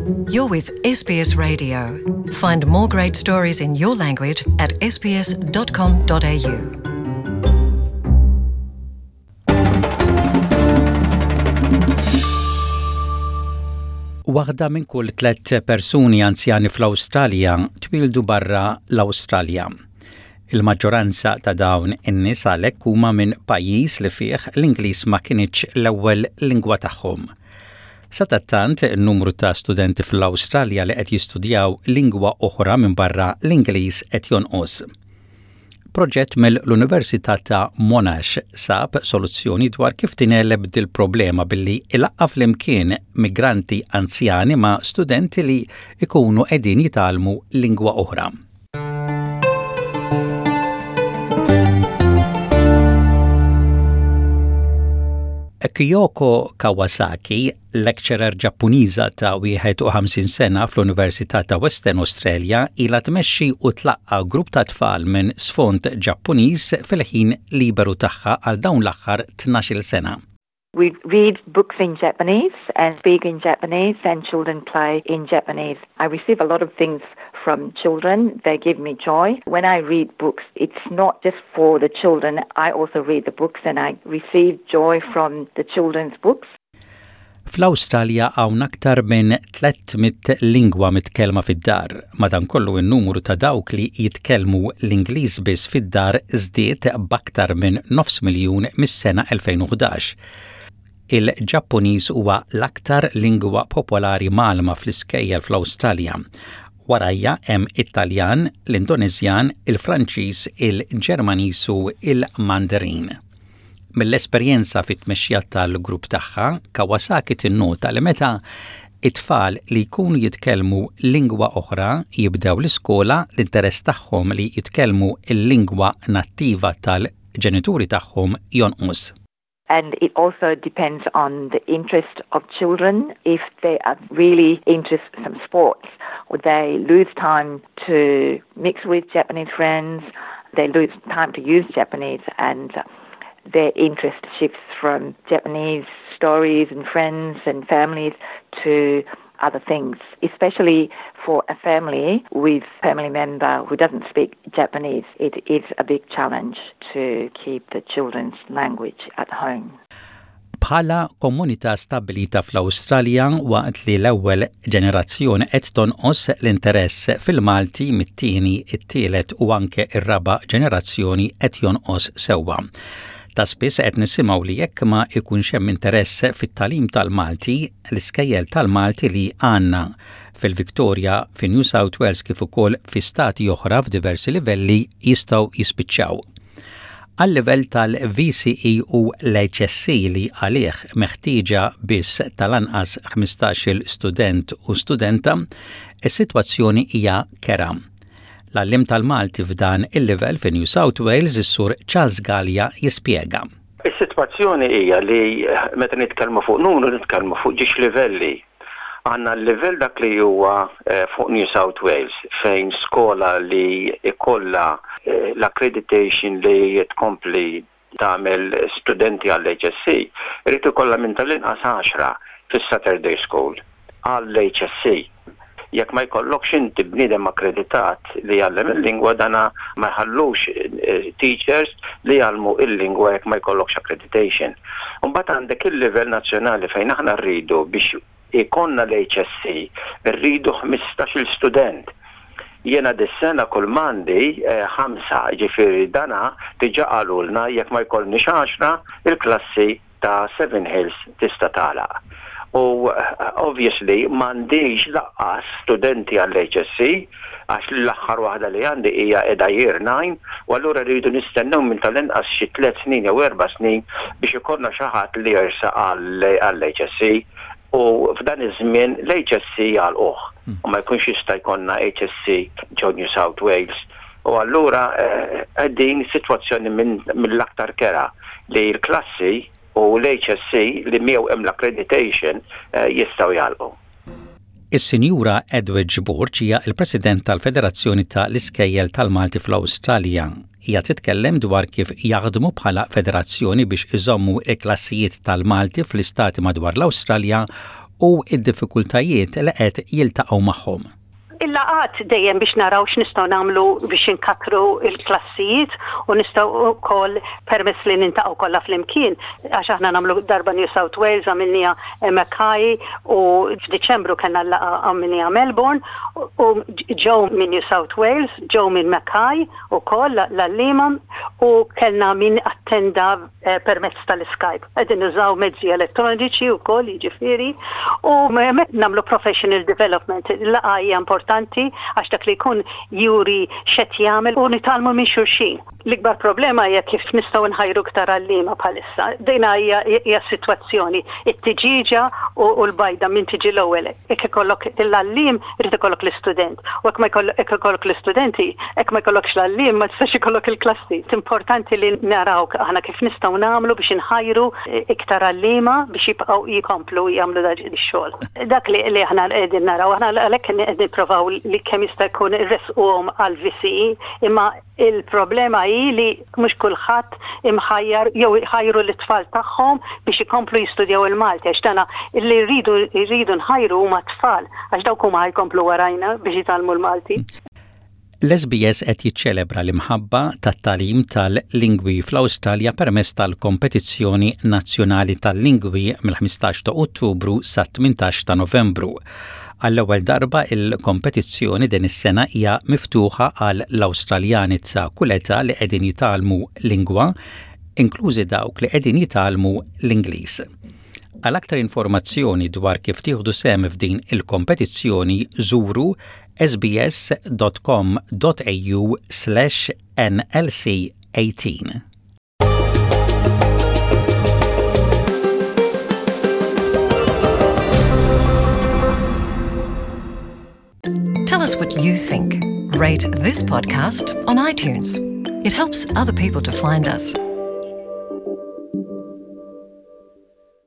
You're with SBS Radio. Find more great stories in your language at sbs.com.au. Waħda minn kull tlett persuni anzjani fl-Awstralja twildu barra l-Awstralja. Il-maġġoranza ta' dawn in-nies għalhekk huma minn pajjiż li fih l-Ingliż ma kinitx l-ewwel lingwa tagħhom. Sadattant, in-numru ta' studenti fl-Awstralja li qed jistudjaw lingwa oħra minbarra l-Ingliż qed jonqos. Proġett mill-Università ta' Monash sab soluzzjoni dwar kif tingħeleb dil-problema billi ilaqqa' flimkien migranti anzjani ma' studenti li jkunu qegħdin jitgħallmu lingwa oħra. Kyoko Kawasaki, lecturer Ġappuniża ta' 51 sena fl-Università ta' Western Australia, ilha tmexxi u tlaqqa' grupp ta' tfal minn sfond Ġappuniż fil-ħin liberu tagħha għal dawn l-aħħar 12-il sena. We read books in Japanese and speak in Japanese and children play in Japanese. I receive a lot of things from children. They give me joy. When I read books, it's not just for the children. I also read the books and I receive joy from the children's books. Fl-Awstralja hawn aktar minn 300 lingwa mitkellma fid-dar. Madankollu n-numru ta' dawk li jitkellmu l-Ingliż biss fid-dar żdied b'aktar minn nofs miljun mis-sena 2011. Il-Ġappuniż huwa l-aktar lingwa popolari mgħallma fl-iskejjel fl-Awstralja. Warajha hemm it-Taljan, l-Indoneżjan, il-Franċiż, il-Ġermaniż u l-Mandarin. Mill-esperjenza fit-tmexxija tal-grupp tagħha, Kawasaki tinnota li meta it-tfal li jkunu jitkellmu lingwa oħra jibdew l-iskola, l-interess tagħhom li jitkellmu l-lingwa nattiva tal-ġenituri tagħhom jonqos. And it also depends on the interest of children. If they are really into some sports, or they lose time to mix with Japanese friends, they lose time to use Japanese and their interest shifts from Japanese stories and friends and families to other things, especially for a family with family member who doesn't speak Japanese. It is a big challenge to keep the children's language at home. Bħala komunità stabbilita fl-Awstralja waqt li l-ewwel ġenerazzjoni qed tonqos l-interess fil-Malti mit-tieni, it-tielet u anke r-raba' ġenerazzjoni qed jonqos sewwa. Ta' spiss qed nisimgħu li jekk ma jkunx hemm interess fit-tagħlim tal-Malti, l-iskejjel tal-Malti li għandna fil-Victoria, fi New South Wales kif ukoll fi stati oħra f'diversi livelli jistgħu jispiċċaw. Għal-livell tal-VCE u l-HSC li għalih meħtieġa biss tal-anqas 15-il student u studenta, is-sitwazzjoni hija kerha. L-għalliem tal-Malti f'dan il-livell fi New South Wales, is-Sur Charles Galea jispjega. Is-sitwazzjoni hija li meta nitkellmu fuq numru nitkellmu fuq ġiex livelli. Għandna l-livell dak li huwa fuq New South Wales fejn skola li jkollha l-accreditation li tkompli tagħmel studenti għall-HSC irid ikollha minn tal-inqas għaxra fis-Saturday School għall-HSC. Jekk ma jkollokx inti bniedem akkreditat li jgħallem il-lingwa dana ma jħallux teachers li jgħallmu il-lingwa jekk ma jkollokx accreditation. Imbagħad għandek il-livell nazzjonali fejn aħna rridu biex ikollna l-HSC rridu 15-il student. Jiena dis-sena kull m'għandi ħamsa, jiġifieri dana diġà qalulna jekk ma jkollniex għaxra, il-klassi ta' Seven Hills tista' tagħlaq. U obviously m'għandix laqqas studenti għall-HSC għax l-aħħar waħda li għandi hija qiegħda year 9 u allura rridu nistennew minn tal-inqas xi tlett snin jew erba' snin biex ikollna xi ħadd li jersaq għall-HSC u f'dan iż-żmien l-HSC jagħlquh u ma jkunx jista' jkollna HSC ġo New South Wales u allura qegħdin sitwazzjoni mill-aktar kerha li l-klassi u l-HSC li miegħu hemm l-accreditation jistgħu jagħlqu. Is-Sinjura Edwidge Borg hija l-President tal-Federazzjoni ta' l-Iskejjel tal-Malti fl-Awstralja. Hija titkellem dwar kif jaħdmu bħala federazzjoni biex iżommu l-klassijiet tal-Malti fl-istati madwar l-Awstralja. u d-diffikultajiet li qed jiltaqgħu magħhom. Il-laqgħat dejjem biex naraw x'nistgħu nagħmlu biex inkattru l-klassijiet u nistgħu wkoll permezz li nintaqgħu kollha flimkien għax aħna nagħmlu darba New South Wales għamilniha Mackay u f'Diċembru kellna l-laqgħa għamilniha Melbourne u ġew minn New South Wales, ġew minn Mackay ukoll l-għalliema u kellna min attenda permezz tal-Skype. Qegħdin nużaw mezzi elettroniċi wkoll jiġifieri u hemmhekk nagħmlu professional development. Il-laqgħa hija importanti għax dak li jkun juri x'qed jagħmel u nitgħallmu minn xulxin. L-ikbar problema hija kif nistgħu nħajru iktar għalliema bħalissa. Dina hija hija s-sitwazzjoni. It-tiġieġa u l-bajda min tiġi l-ewwel. Jekk ikollok l-għalliem irid ikollok l-istudent. U jekk ma jekk ikollok l-istudenti, jekk ma jkollokx l-għalliem ma tistax ikollok il-klassi. Importanti li naraw aħna kif nistgħu nagħmlu biex inħajru iktar għalliema biex jibqgħu jkomplu jagħmlu dan ix-xogħol. Dak li li aħna qegħdin naraw, aħna għalhekk qed nipprovaw li kemm jista' jkun irressquhom għall-VCE imma Il-problema hi li mhux kulħadd imħajjar jew iħajru lit-tfal tagħhom biex ikomplu jistudjaw il-Malti għax dana li rridu rridu nħajru huma t-tfal għax dawk huma ħa jkomplu warajna biex jitgħallmu l-Malti. L-SBS qed jiċċelebra l-imħabba tat-tagħlim tal-lingwi fl-Awstralja permezz tal-Kompetizzjoni Nazzjonali tal-Lingwi mill-15 ta' Ottubru sat-18 ta' Novembru. Għall-ewwel darba il-kompetizzjoni din is-sena hija miftuħa għal l-Awstraljani ta' kull età li qegħdin jitgħallmu lingwa, inklużi dawk li qegħdin jitgħallmu l-Ingliż. Għal aktar informazzjoni dwar kif tieħdu sehem f'din il-kompetizzjoni żuru sbs.com.au/nlc18. Tell us what you think. Rate this podcast on iTunes. It helps other people to find us.